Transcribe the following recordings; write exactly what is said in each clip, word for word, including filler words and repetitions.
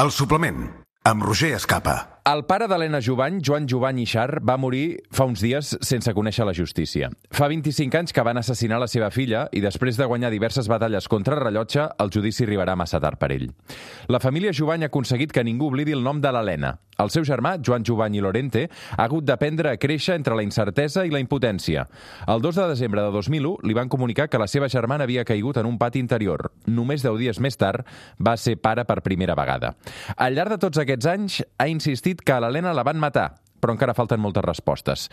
El suplement, amb Roger Escapa. El pare d'Helena Jubany, Joan Jubany i Xar, va morir fa uns dies sense conèixer la justícia. Fa vint-i-cinc anys que van assassinar la seva filla i després de guanyar diverses batalles contra el rellotge, el judici arribarà massa tard per ell. La família Jubany ha aconseguit que ningú oblidi el nom de l'Helena. El seu germà, Joan Jubany i Lorente, ha hagut d'aprendre a créixer entre la incertesa i la impotència. El dos de desembre de dos mil u li van comunicar que la seva germana havia caigut en un pati interior. Només deu dies més tard va ser pare per primera vegada. Al llarg de tots aquests anys ha insistit que a l'Helena la van matar, però encara falten moltes respostes.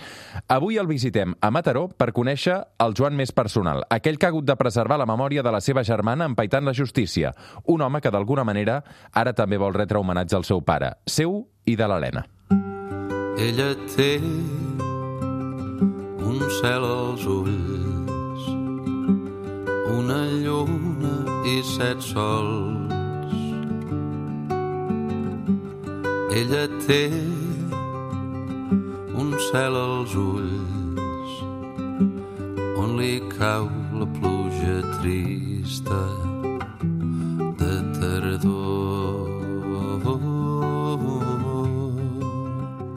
Avui el visitem a Mataró per conèixer el Joan més personal, aquell que ha hagut de preservar la memòria de la seva germana empaitant la justícia, un home que d'alguna manera ara també vol retre homenatge al seu pare, seu i de l'Helena. Ella té un cel als ulls, una lluna i set sols. Ella té un cel als ulls on li cau la pluja trista de tardor.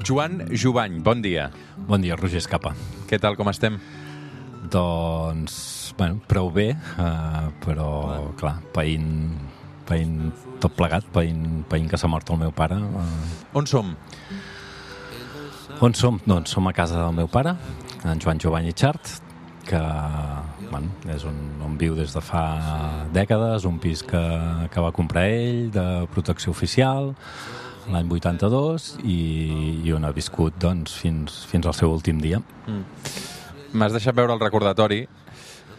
Joan Jubany, bon dia. Bon dia, Roger Escapa. Què tal, com estem? Doncs, bueno, prou bé, uh, però, bueno. clar, païnt, païnt tot plegat, païnt, païnt que s'ha mort el meu pare. Uh... On som? On som? Doncs som a casa del meu pare, en Joan Jubany i Xart, que bueno, és un, on viu des de fa dècades, un pis que, que va comprar ell, de protecció oficial, l'any vuitanta-dos, i, i on ha viscut doncs, fins, fins al seu últim dia. Mm. M'has deixat veure el recordatori.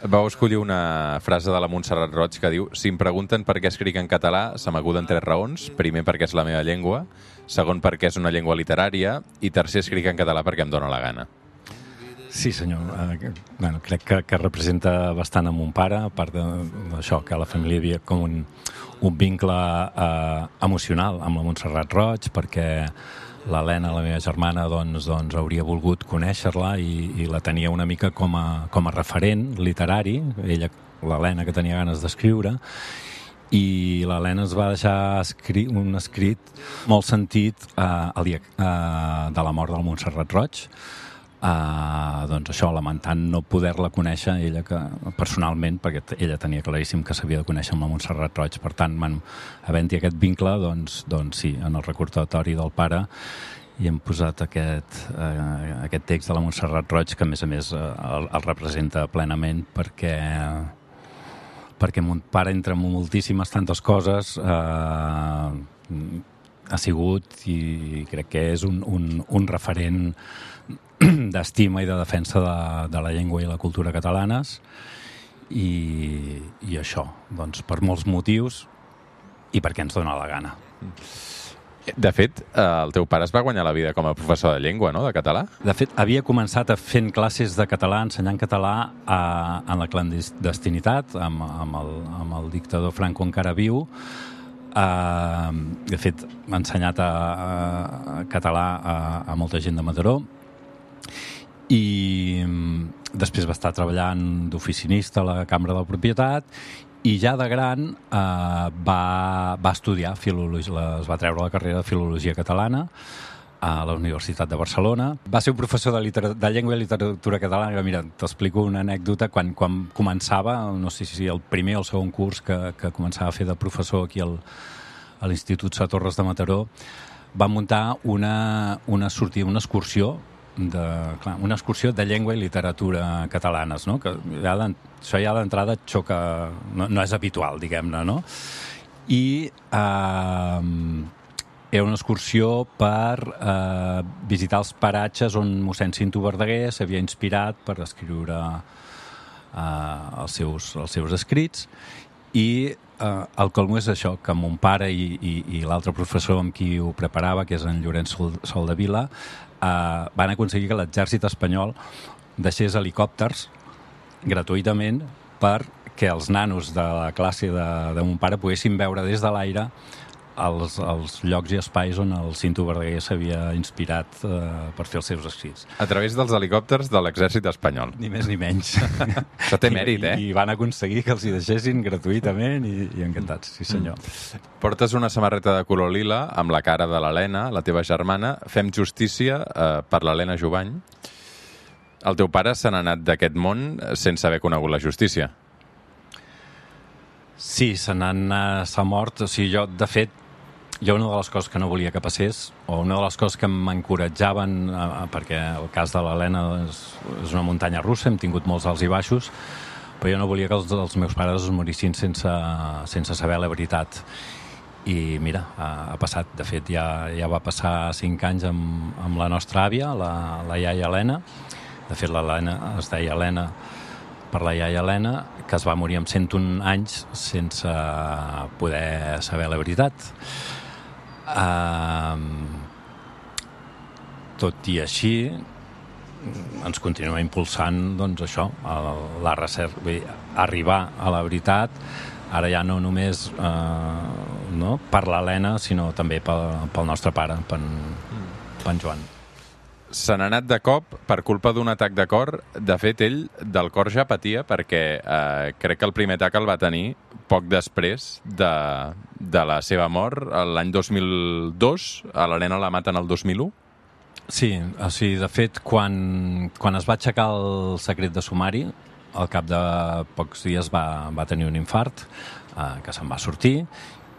Vau escollir una frase de la Montserrat Roig que diu: si em pregunten per què escric en català, se m'acuden tres raons. Primer, perquè és la meva llengua. Segon, perquè és una llengua literària. I tercer, escric en català perquè em dóna la gana. Sí, senyor. Eh, bueno, crec que, que representa bastant a mon pare, a part d'això, que la família havia com un, un vincle eh, emocional amb la Montserrat Roig, perquè l'Helena, la meva germana, doncs, doncs hauria volgut conèixer-la i, i la tenia una mica com a, com a referent literari, ella, l'Helena, que tenia ganes d'escriure, i l'Helena es va deixar escri un escrit molt sentit eh, el dia eh, de la mort del Montserrat Roig, eh, doncs això, lamentant no poder-la conèixer ella que, personalment, perquè ella tenia claríssim que s'havia de conèixer amb la Montserrat Roig. Per tant, man, havent-hi aquest vincle, doncs, doncs sí, en el recordatori del pare hi hem posat aquest, eh, aquest text de la Montserrat Roig, que a més a més eh, el, el representa plenament, perquè perquè mon pare, entre moltíssimes tantes coses, eh, ha sigut i crec que és un, un, un referent d'estima i de defensa de, de la llengua i la cultura catalanes, i, i això, doncs, per molts motius i perquè ens dona la gana. De fet, el teu pare es va guanyar la vida com a professor de llengua, no?, de català? De fet, havia començat a fent classes de català, ensenyant català a, en la clandestinitat, amb, amb, el, amb el dictador Franco encara viu. Uh, de fet, m'ha ensenyat a, a català a, a molta gent de Mataró, i després va estar treballant d'oficinista a la Cambra de la Propietat, i ja de gran eh, va, va estudiar filologia, es va treure la carrera de Filologia Catalana a la Universitat de Barcelona. Va ser un professor de, de llengua i literatura catalana. Mira, t'explico una anècdota. Quan, quan començava, no sé si el primer o el segon curs que, que començava a fer de professor aquí al, a l'Institut Sa Torres de Mataró, va muntar una, una sortida, una excursió de, clar, una excursió de llengua i literatura catalanes, no? Que ja això ja d'entrada xoca, no, no és habitual, diguem-ne, no? I eh, era una excursió per eh, visitar els paratges on mossèn Cinto Verdaguer s'havia inspirat per escriure eh, els, seus, els seus escrits, i eh, el colmo és això, que mon pare i, i, i l'altre professor amb qui ho preparava, que és en Llorenç Sol, Soldevila, Uh, van aconseguir que l'exèrcit espanyol deixés helicòpters gratuïtament perquè els nanos de la classe de, de mon pare poguessin veure des de l'aire els, els llocs i espais on el Cinto Verdaguer s'havia inspirat eh, per fer els seus escrits. A través dels helicòpters de l'exèrcit espanyol. Ni més ni menys. Això té mèrit, eh? I, I van aconseguir que els hi deixessin gratuïtament i, i encantats, sí senyor. Mm. Portes una samarreta de color lila amb la cara de l'Helena, la teva germana. Fem justícia eh, per l'Helena Jubany. El teu pare se n'ha anat d'aquest món sense haver conegut la justícia. Sí, se n'han s'ha mort. O sigui, jo, de fet, jo una de les coses que no volia que passés, o una de les coses que m'encoratjaven, eh, perquè el cas de l'Helena és, és una muntanya russa, hem tingut molts alts i baixos, però jo no volia que els, els meus pares es morissin sense, sense saber la veritat. I mira, ha, ha passat. De fet, ja, ja va passar cinc anys amb, amb la nostra àvia, la, la iaia Helena. De fet, l'Helena es deia Helena per la iaia Helena, que es va morir amb cent un anys sense poder saber la veritat. Uh, tot i així ens continua impulsant doncs això, la recerca, vull dir, arribar a la veritat, ara ja no només uh, no, per l'Helena, sinó també pel, pel nostre pare, per, per en Joan. Se n'ha anat de cop per culpa d'un atac de cor. De fet, ell del cor ja patia perquè eh, crec que el primer atac el va tenir poc després de, de la seva mort, l'any dos mil dos. A l'Helena la maten el dos mil u. Sí, o sigui, de fet, quan, quan es va aixecar el secret de sumari, al cap de pocs dies va, va tenir un infart, eh, que se'n va sortir,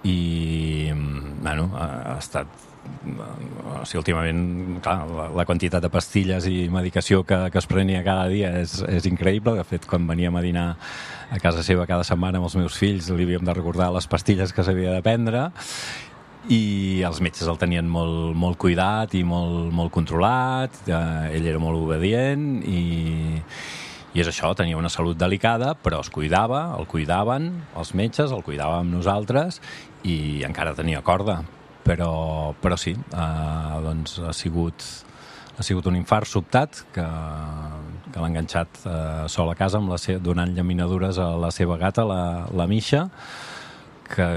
i bueno, ha estat... O sigui, últimament, clar, la, la quantitat de pastilles i medicació que, que es prenia cada dia és, és increïble. De fet, quan veníem a dinar a casa seva cada setmana amb els meus fills, li havíem de recordar les pastilles que s'havia de prendre, i els metges el tenien molt, molt cuidat i molt, molt controlat. Eh, ell era molt obedient i, i és això, tenia una salut delicada, però es cuidava, el cuidaven els metges, el cuidàvem nosaltres, i encara tenia corda. Però, però sí, eh, doncs ha sigut, ha sigut un infart sobtat que, que l'ha enganxat eh, sol a casa amb la se- donant llaminadures a la seva gata, la, la Misha, que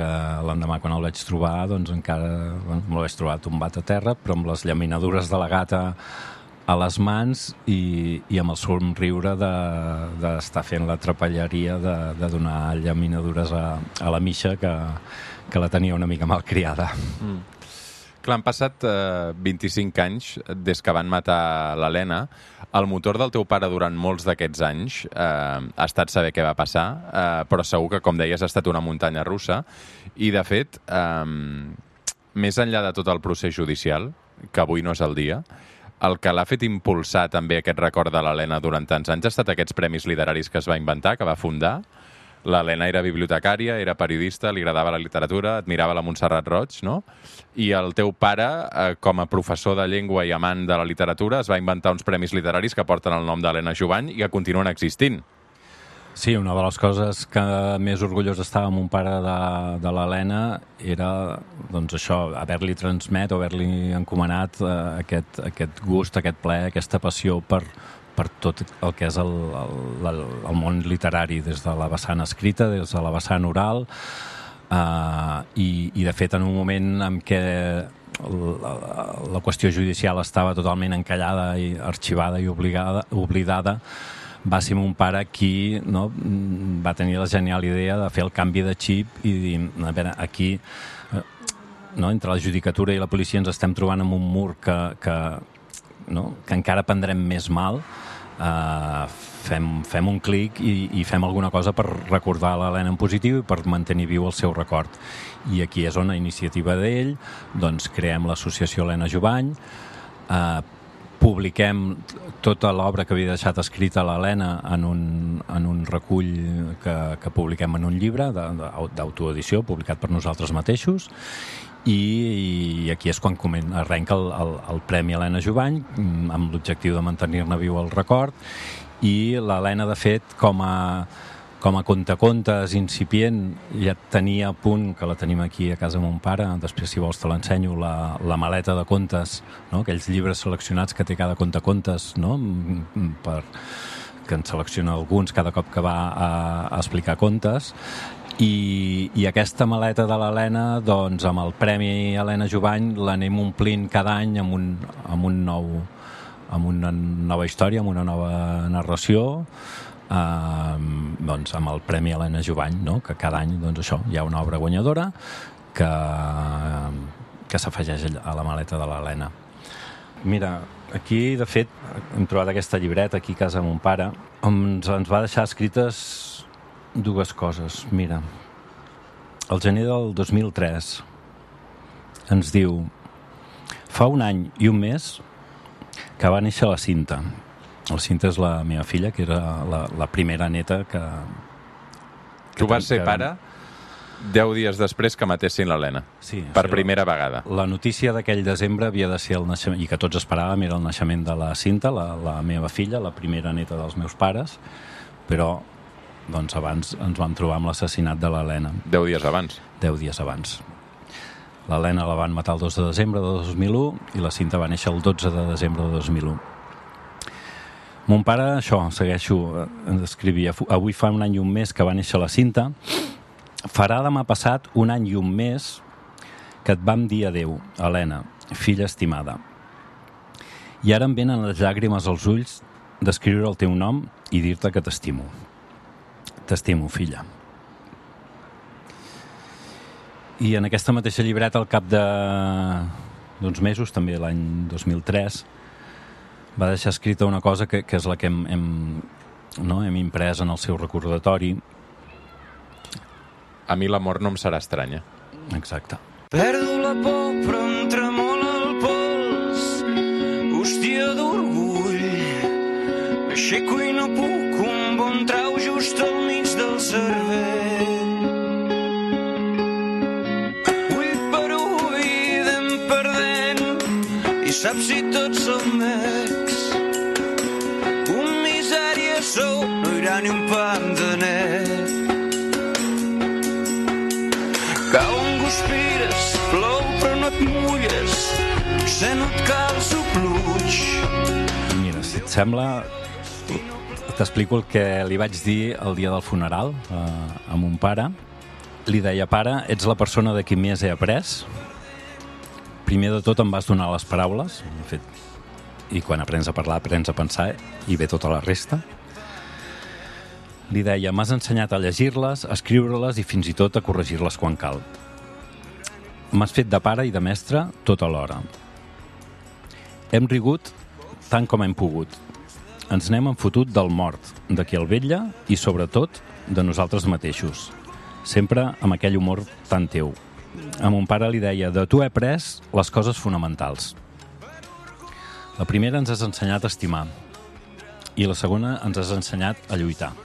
l'endemà quan el vaig trobar doncs encara bueno, me l'haig trobat tombat a terra, però amb les llaminadures de la gata a les mans i, i amb el somriure d'estar de, fent la trapelleria de, de donar llaminadures a, a la Misha, que que la tenia una mica malcriada. Mm. Clar, han passat eh, vint-i-cinc anys des que van matar l'Helena. El motor del teu pare durant molts d'aquests anys eh, ha estat saber què va passar, eh, però segur que, com deies, ha estat una muntanya russa. I, de fet, eh, més enllà de tot el procés judicial, que avui no és el dia, el que l'ha fet impulsar també aquest record de l'Helena durant tants anys ha estat aquests premis literaris que es va inventar, que va fundar. L'Helena era bibliotecària, era periodista, li agradava la literatura, admirava la Montserrat Roig, no? I el teu pare, eh, com a professor de llengua i amant de la literatura, es va inventar uns premis literaris que porten el nom d'Helena Jubany i que continuen existint. Sí, una de les coses que més orgullós estava mon pare de, de l'Helena era, doncs això, haver-li transmet o haver-li encomanat eh, aquest, aquest gust, aquest plaer, aquesta passió per, per tot el que és el, el, el món literari, des de la vessant escrita, des de la vessant oral, eh, i, i de fet en un moment en què la, la qüestió judicial estava totalment encallada i arxivada i obligada, oblidada, va ser mon pare qui no, va tenir la genial idea de fer el canvi de xip i dir, a veure, aquí no, entre la judicatura i la policia ens estem trobant amb un mur que, que, no, que encara prendrem més mal. Uh, fem, fem un clic i, i fem alguna cosa per recordar l'Helena en positiu i per mantenir viu el seu record. I aquí és on, a iniciativa d'ell, doncs creem l'associació Helena Jubany, uh, publiquem tota l'obra que havia deixat escrita l'Helena en un, en un recull que, que publiquem en un llibre d'autoedició publicat per nosaltres mateixos, i, i aquí és quan comen, arrenca el, el, el Premi Helena Jubany amb l'objectiu de mantenir-ne viu el record. I l'Helena, de fet, com a com a contacontes incipient, ja tenia a punt, que la tenim aquí a casa de mon pare, després si vols te l'ensenyo, la, la maleta de contes, no? Aquells llibres seleccionats que té cada contacontes, no? Per, que en selecciona alguns cada cop que va a, a explicar contes, I, i aquesta maleta de l'Helena, doncs, amb el Premi Helena Jovany l'anem omplint cada any amb, un, amb, un nou, amb una nova història, amb una nova narració, eh, doncs, amb el Premi Helena Jovany, no? Que cada any, doncs, això, hi ha una obra guanyadora que, que s'afegeix a la maleta de l'Helena. Mira, aquí, de fet, hem trobat aquesta llibreta aquí a casa de mon pare, on ens, ens va deixar escrites dues coses. Mira, el gener del dos mil tres ens diu: fa un any i un mes que va néixer la Cinta. La Cinta és la meva filla, que era la, la primera neta que... que tu vas ser que... pare deu dies després que matessin l'Helena. Sí, per o sigui, primera vegada. La notícia d'aquell desembre havia de ser el naixement, i que tots esperàvem, era el naixement de la Cinta, la, la meva filla, la primera neta dels meus pares, però doncs abans ens vam trobar amb l'assassinat de l'Helena. Deu dies abans. Deu dies abans. L'Helena la van matar el dos de desembre de dos mil u i la Cinta va néixer el dotze de desembre de dos mil u. Mon pare, això, segueixo, ens escrivia: avui fa un any i un mes que va néixer la Cinta. Farà demà passat un any i un mes que et vam dir adeu, Helena, filla estimada. I ara em venen les llàgrimes als ulls d'escriure el teu nom i dir-te que t'estimo. T'estimo, filla. I en aquesta mateixa llibreta, al cap de d'uns mesos, també l'any dos mil tres, va deixar escrita una cosa que, que és la que hem, hem, no, hem imprès en el seu recordatori. A mi la mort no em serà estranya. Exacte. Perdo la por, però em tremola el pols, hòstia d'orgull. M'aixeco i no puc, un bon trau just al mig del cervell. Ull per ull anem perdent, i saps si tots som ex. Un misèria sou, no hi haurà ni un pam de net. Cau en guspires, plou però no et mulles, se no et calço pluig. Mira, si et sembla, t'explico el que li vaig dir el dia del funeral eh, a mon pare. Li deia: pare, ets la persona de qui més he après. Primer de tot em vas donar les paraules, de fet, i quan aprens a parlar aprens a pensar, i ve tota la resta. Li deia: m'has ensenyat a llegir-les, a escriure-les i fins i tot a corregir-les quan cal. M'has fet de pare i de mestre tot alhora. Hem rigut tant com hem pogut. Ens n'hem enfotut del mort, de qui el vetlla i, sobretot, de nosaltres mateixos. Sempre amb aquell humor tan teu. A mon pare li deia: de tu he après les coses fonamentals. La primera, ens has ensenyat a estimar. I la segona, ens has ensenyat a lluitar.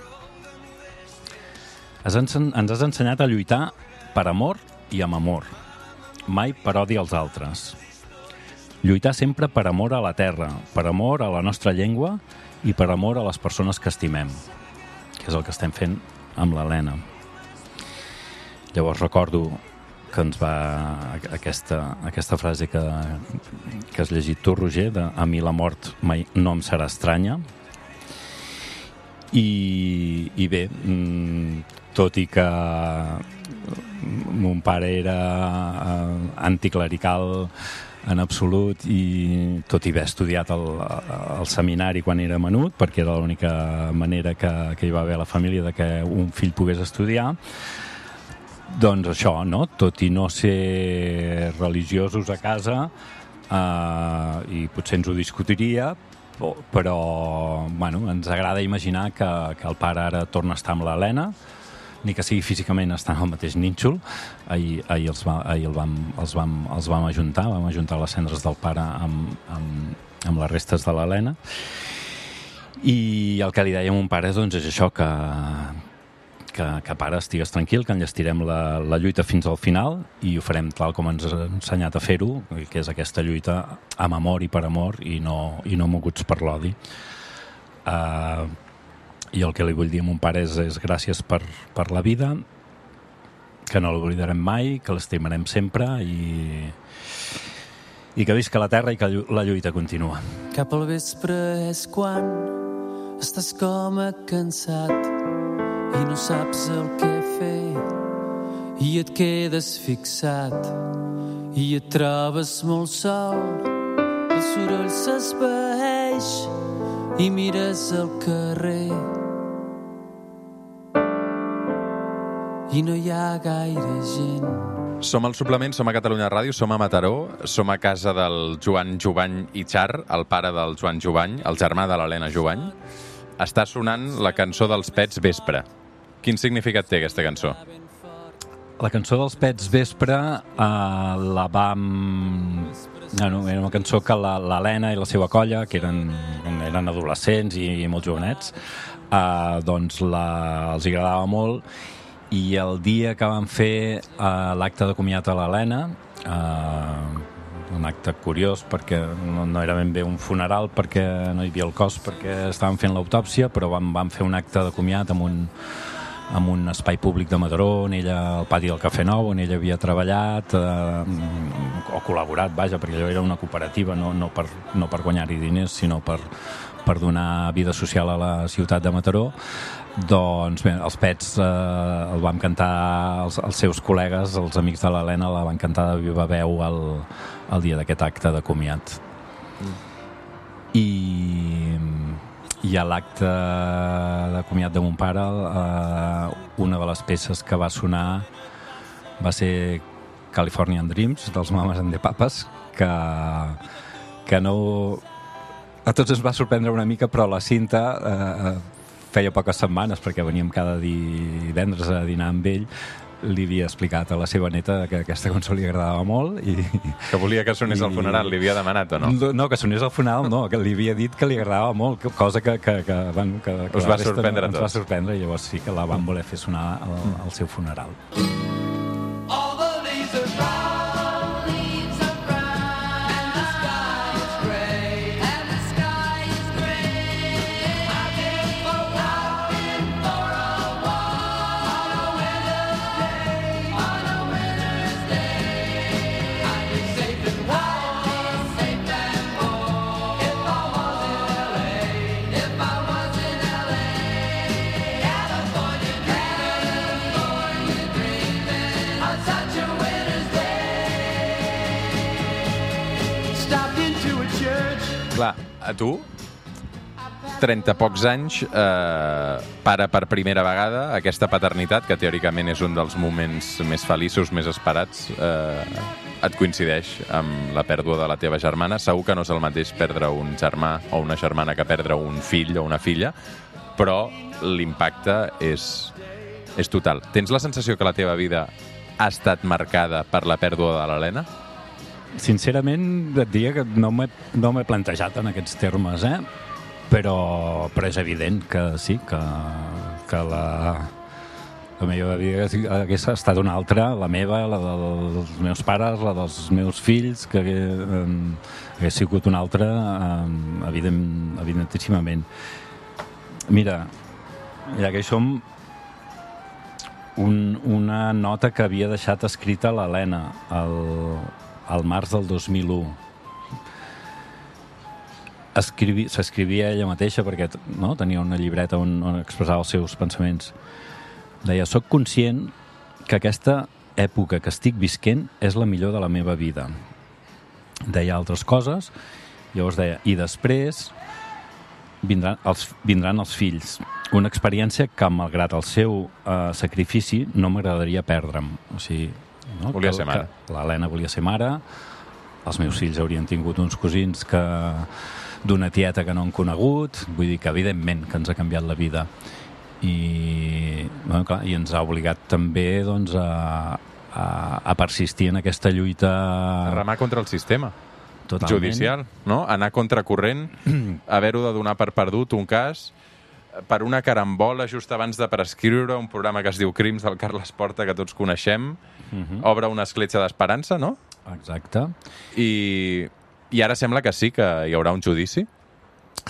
Ens has ensenyat a lluitar per amor i amb amor, mai per odi als altres. Lluitar sempre per amor a la terra, per amor a la nostra llengua i per amor a les persones que estimem, que és el que estem fent amb l'Helena. Llavors recordo que ens va aquesta, aquesta frase que, que has llegit tu, Roger, de a mi la mort mai no em serà estranya. I, i bé, tot i que mon pare era anticlerical en absolut, i tot i haver estudiat el, el seminari quan era menut, perquè era l'única manera que, que hi va haver a la família de que un fill pogués estudiar, doncs això, no? Tot i no ser religiosos a casa, eh, i potser ens ho discutiria, però bueno, ens agrada imaginar que, que el pare ara torna a estar amb l'Helena, ni que sigui físicament estar al mateix nínxol. Ahir, ahir, els, va, ahir el vam, els, vam, els vam ajuntar, vam ajuntar les cendres del pare amb, amb, amb les restes de l'Helena. I el que li dèiem a mon pare doncs, és això, que, que, que pare, estigues tranquil, que enllestirem la, la lluita fins al final i ho farem tal com ens ha ensenyat a fer-ho, que és aquesta lluita amb amor i per amor i no, i no moguts per l'odi. Uh, I el que li vull dir a mon pare és, és gràcies per, per la vida, que no l'oblidarem mai, que l'estimarem sempre i, i que visca la terra i que la lluita continua. Cap al vespre és quan estàs com a cansat i no saps el què fer i et quedes fixat i et trobes molt sol. El soroll s'esvaeix i mires al carrer i no hi ha gaire gent. Som al Suplement, som a Catalunya Ràdio, som a Mataró, som a casa del Joan Jovany i Char, el pare del Joan Jovany, el germà de l'Helena Jovany. Està sonant la cançó dels Pets Vespre. Quin significat té aquesta cançó? La cançó dels Pets Vespre eh, la vam... Bueno, era una cançó que l'Helena i la seva colla, que eren, eren adolescents i, i molt jovenets, eh, doncs la, els agradava molt. I el dia que vam fer uh, l'acte de comiat a l'Helena, uh, un acte curiós perquè no, no era ben bé un funeral, perquè no hi havia el cos, perquè estàvem fent l'autòpsia, però vam, vam fer un acte de comiat amb un, amb un espai públic de Mataró, on ella, al pati del Cafè Nou, on ella havia treballat uh, o col·laborat, vaja, perquè allò era una cooperativa, no, no per, no per guanyar-hi diners, sinó per, per donar vida social a la ciutat de Mataró. Doncs bé, els Pets eh, el vam cantar, els, els seus col·legues, els amics de l'Helena, la van cantar de viva veu el, el dia d'aquest acte de comiat. Mm. I, i a l'acte de comiat de mon pare, eh, una de les peces que va sonar va ser Californian Dreams, dels Mamas and the Papas, que, que no... A tots ens va sorprendre una mica, però la Cinta... Eh, feia poques setmanes, perquè veníem cada divendres a dinar amb ell, li havia explicat a la seva neta que aquesta cançó li agradava molt. I, que volia que sonés i, al funeral, li havia demanat o no? No, que sonés al funeral no, que li havia dit que li agradava molt, cosa que, que, que, bueno, que, que us va sorprendre no, a tots. Ens va sorprendre, i llavors sí que la van voler fer sonar al, al seu funeral. Clar, a tu, trenta pocs anys, eh, pare per primera vegada, aquesta paternitat, que teòricament és un dels moments més feliços, més esperats, eh, et coincideix amb la pèrdua de la teva germana. Segur que no és el mateix perdre un germà o una germana que perdre un fill o una filla, però l'impacte és, és total. Tens la sensació que la teva vida ha estat marcada per la pèrdua de l'Helena? Sincerament, et diria que no m'he no m'he plantejat en aquests termes, eh? Però, però és evident que sí, que, que la, la meva vida hagués estat una altra, la meva, la dels meus pares, la dels meus fills, que eh, hagués sigut una altra, eh, evident, evidentíssimament. Mira, ja que som un, una nota que havia deixat escrita l'Helena al, al març del dos mil u. S'escrivia ella mateixa perquè no, tenia una llibreta on, on expressava els seus pensaments. Deia, soc conscient que aquesta època que estic visquent és la millor de la meva vida. Deia altres coses, llavors deia, i després vindran els, vindran els fills. Una experiència que, malgrat el seu eh, sacrifici, no m'agradaria perdre'm. O sigui, no? Volia ser mare. L'Helena volia ser mare, els meus fills haurien tingut uns cosins que d'una tieta que no han conegut, vull dir que evidentment que ens ha canviat la vida. I, bueno, clar, i ens ha obligat també doncs, a, a, a persistir en aquesta lluita... A remar contra el sistema. Totalment. Judicial, no? Anar contracorrent, haver-ho de donar per perdut un cas, per una carambola just abans de prescriure un programa que es diu Crims del Carles Porta, que tots coneixem, uh-huh. Obre una escletxa d'esperança, no? Exacte. I, I ara sembla que sí, que hi haurà un judici?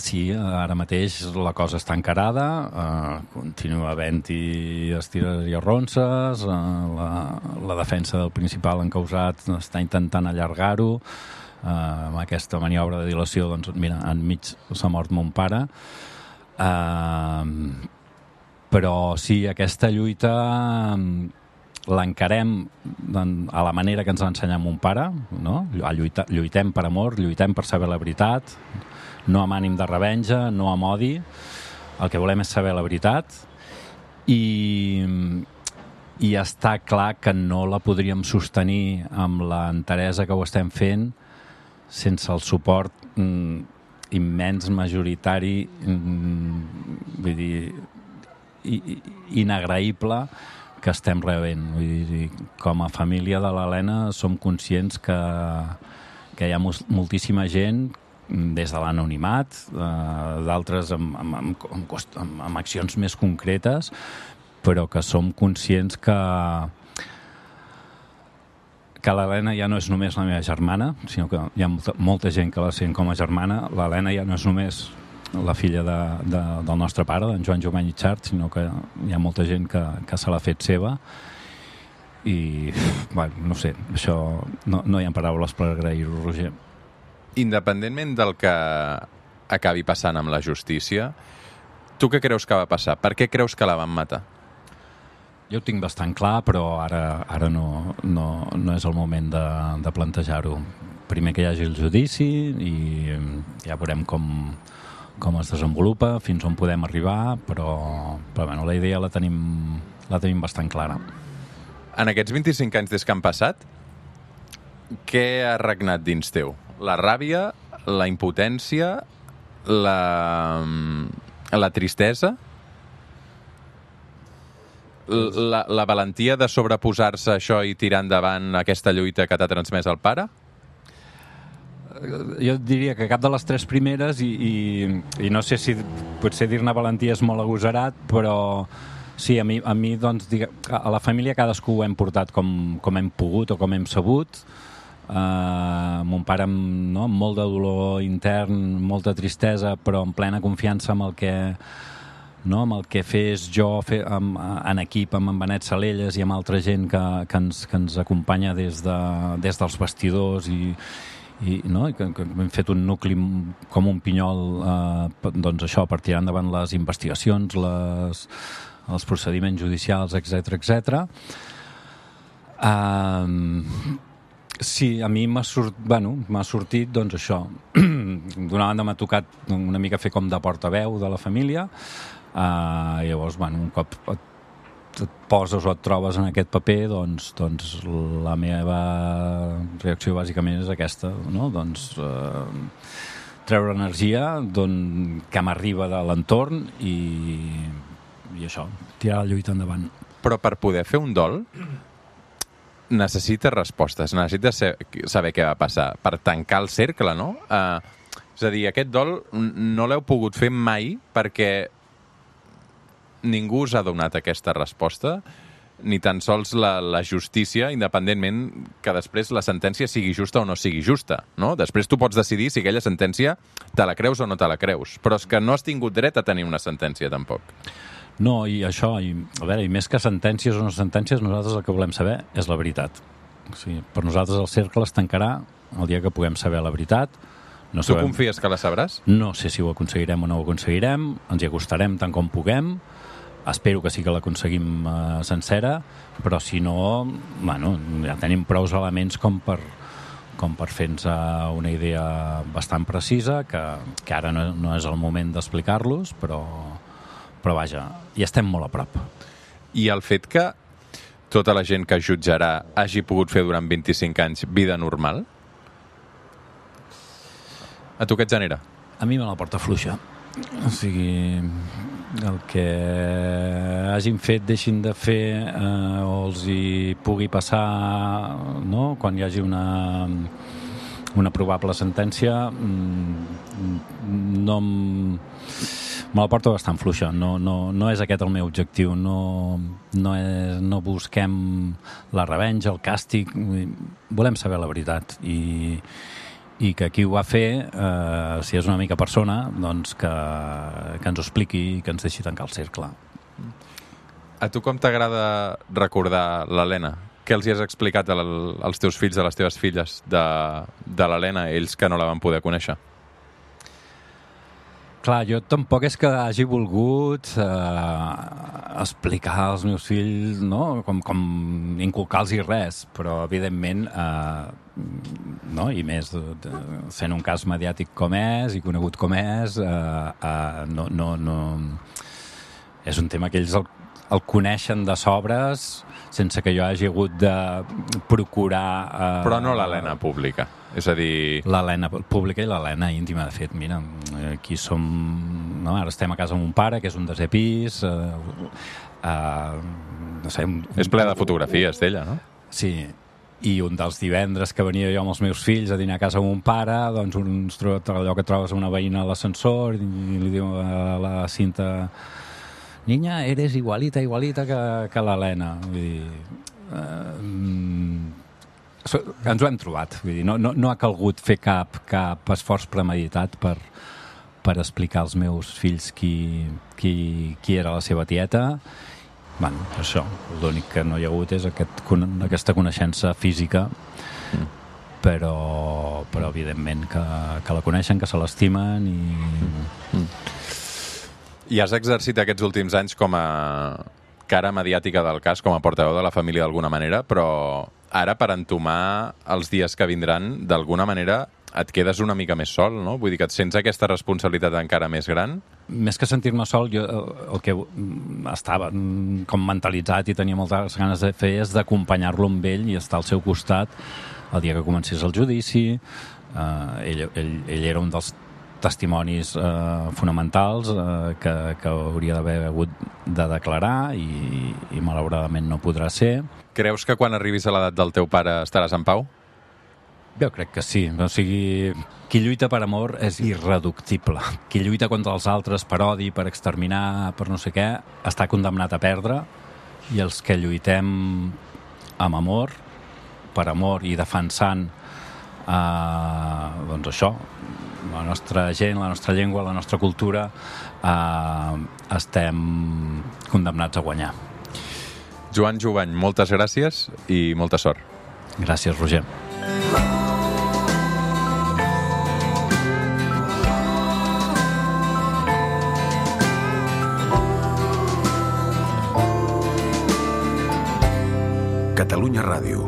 Sí, ara mateix la cosa està encarada, eh, continua havent-hi estires i arronses, eh, la, la defensa del principal encausat està intentant allargar-ho, eh, amb aquesta maniobra de dilació, doncs mira, enmig s'ha mort mon pare. Eh, Però sí, aquesta lluita l'encarem a la manera que ens va ensenyar mon pare, no? Lluita, lluitem per amor, lluitem per saber la veritat, no amb ànim de revenja, no amb odi, el que volem és saber la veritat, i, i està clar que no la podríem sostenir amb l'enteresa que ho estem fent sense el suport mm, immens, majoritari, mm, vull dir, i, i, inagraïble que estem rebent. Vull dir, com a família de l'Helena som conscients que, que hi ha moltíssima gent des de l'anonimat, eh, d'altres amb, amb, amb, amb, amb accions més concretes, però que som conscients que que l'Helena ja no és només la meva germana, sinó que hi ha molta, molta gent que la sent com a germana. L'Helena ja no és només la filla de, de, del nostre pare, d'en Joan Jovany i Xart, sinó que hi ha molta gent que, que se l'ha fet seva. I, bueno, no sé, això no, no hi ha paraules per agrair-ho, Roger. Independentment del que acabi passant amb la justícia, tu què creus que va passar? Per què creus que la van matar? Jo ho tinc bastant clar, però ara, ara no, no, no és el moment de, de plantejar-ho. Primer que hi hagi el judici i ja veurem com, com es desenvolupa, fins on podem arribar, però, però bueno, la idea la tenim, la tenim bastant clara. En aquests vint-i-cinc anys des que han passat, què ha regnat dins teu? La ràbia, la impotència, la, la tristesa, la, la valentia de sobreposar-se a això i tirar endavant aquesta lluita que t'ha transmès el pare? Jo diria que cap de les tres primeres, i, i, i no sé si potser dir-ne valentia és molt agosarat, però sí, a mi, a mi doncs, a la família cadascú ho hem portat com, com hem pogut o com hem sabut. Uh, mon pare amb, no, amb molt de dolor intern, molta tristesa, però en plena confiança amb el que, no, amb el que fes jo fe, amb, en equip amb en Benet Salelles i amb altra gent que, que, ens, que ens acompanya des, de, des dels vestidors i, i, no, i que, que hem fet un nucli com un pinyol, eh, doncs això, per tirar endavant les investigacions, les, els procediments judicials, etcètera, etcètera. Uh, sí, a mi m'ha sort, bueno, m'ha sortit doncs això. D'una banda m'ha tocat una mica fer com de portaveu de la família, uh, i llavors, bueno, un cop et, et poses o et trobes en aquest paper, doncs, doncs la meva reacció bàsicament és aquesta, no? Doncs uh, treure energia que m'arriba de l'entorn i, i això, tirar la lluita endavant. Però per poder fer un dol necessites respostes, necessites saber què va passar per tancar el cercle, no? Uh, és a dir, aquest dol no l'heu pogut fer mai perquè ningú us ha donat aquesta resposta, ni tan sols la, la justícia, independentment que després la sentència sigui justa o no sigui justa, no? Després tu pots decidir si aquella sentència te la creus o no te la creus, però és que no has tingut dret a tenir una sentència, tampoc. No, i això, i, a veure, i més que sentències o no sentències, nosaltres el que volem saber és la veritat. O sigui, per nosaltres el cercle es tancarà el dia que puguem saber la veritat. No tu sabem... confies que la sabràs? No sé si ho aconseguirem o no ho aconseguirem, ens hi acostarem tant com puguem, espero que sí que l'aconseguim eh, sencera, però si no, bueno, ja tenim prous elements com per, com per fer-nos una idea bastant precisa, que, que ara no, no és el moment d'explicar-los, però... però vaja, hi estem molt a prop. I el fet que tota la gent que jutjarà hagi pogut fer durant vint-i-cinc anys vida normal, a tu què et genera? A mi me la porta fluixa. O sigui, el que hagin fet, deixin de fer, eh, o els hi pugui passar, no?, quan hi hagi una... una probable sentència, no me la porto bastant fluixa. No, no, no és aquest el meu objectiu. No, no, és, no busquem la revenja, el càstig. Volem saber la veritat. I, i que qui ho va fer, eh, si és una mica persona, doncs que, que ens ho expliqui i que ens deixi tancar el cercle. A tu com t'agrada recordar l'Helena? Què els hi has explicat als teus fills, a les teves filles de, de l'Helena, ells que no la van poder conèixer? Clar, jo tampoc és que hagi volgut eh, explicar als meus fills, no?, com, com inculcar-los res, però evidentment, eh, no?, i més de, de, sent un cas mediàtic com és i conegut com és, eh, eh, no, no, no... és un tema que ells el, el coneixen de sobres sense que jo hagi hagut de procurar... Eh, Però no l'Helena pública. És a dir... L'Helena pública i l'Helena íntima. De fet, mira, aquí som... No? Ara estem a casa amb un pare, que és un desè pis... Eh, eh, no sé... Un, és ple de fotografies d'ella, no? Sí, i un dels divendres que venia jo amb els meus fills a dinar a casa amb un pare, doncs uns, allò que trobes una veïna a l'ascensor i li diu a la Cinta... Niña, eres igualita, igualita que, que l'Helena. Vull dir... Eh, ens ho hem trobat. Vull dir, no, no, no ha calgut fer cap, cap esforç premeditat per, per explicar als meus fills qui, qui, qui era la seva tieta. Bueno, això, l'únic que no hi ha hagut és aquest, aquesta coneixença física, mm. però, però evidentment que, que la coneixen, que se l'estimen i... Mm. I has exercit aquests últims anys com a cara mediàtica del cas, com a portaveu de la família d'alguna manera, però ara, per entomar els dies que vindran, d'alguna manera et quedes una mica més sol, no? Vull dir que et sents aquesta responsabilitat encara més gran? Més que sentir-me sol, jo el que estava com mentalitzat i tenia moltes ganes de fer és d'acompanyar-lo amb ell i estar al seu costat el dia que comencés el judici. Uh, ell, ell, ell era un dels testimonis eh, fonamentals eh, que, que hauria d'haver hagut de declarar i, i malauradament no podrà ser. Creus que quan arribis a l'edat del teu pare estaràs en pau? Jo crec que sí. O sigui, qui lluita per amor és irreductible. Qui lluita contra els altres per odi, per exterminar, per no sé què, està condemnat a perdre, i els que lluitem amb amor, per amor i defensant eh, doncs això, la nostra gent, la nostra llengua, la nostra cultura, eh, estem condemnats a guanyar. Joan Jubany, moltes gràcies i molta sort. Gràcies, Roger. Catalunya Ràdio,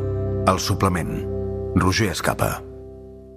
El Suplement, Roger Escapa.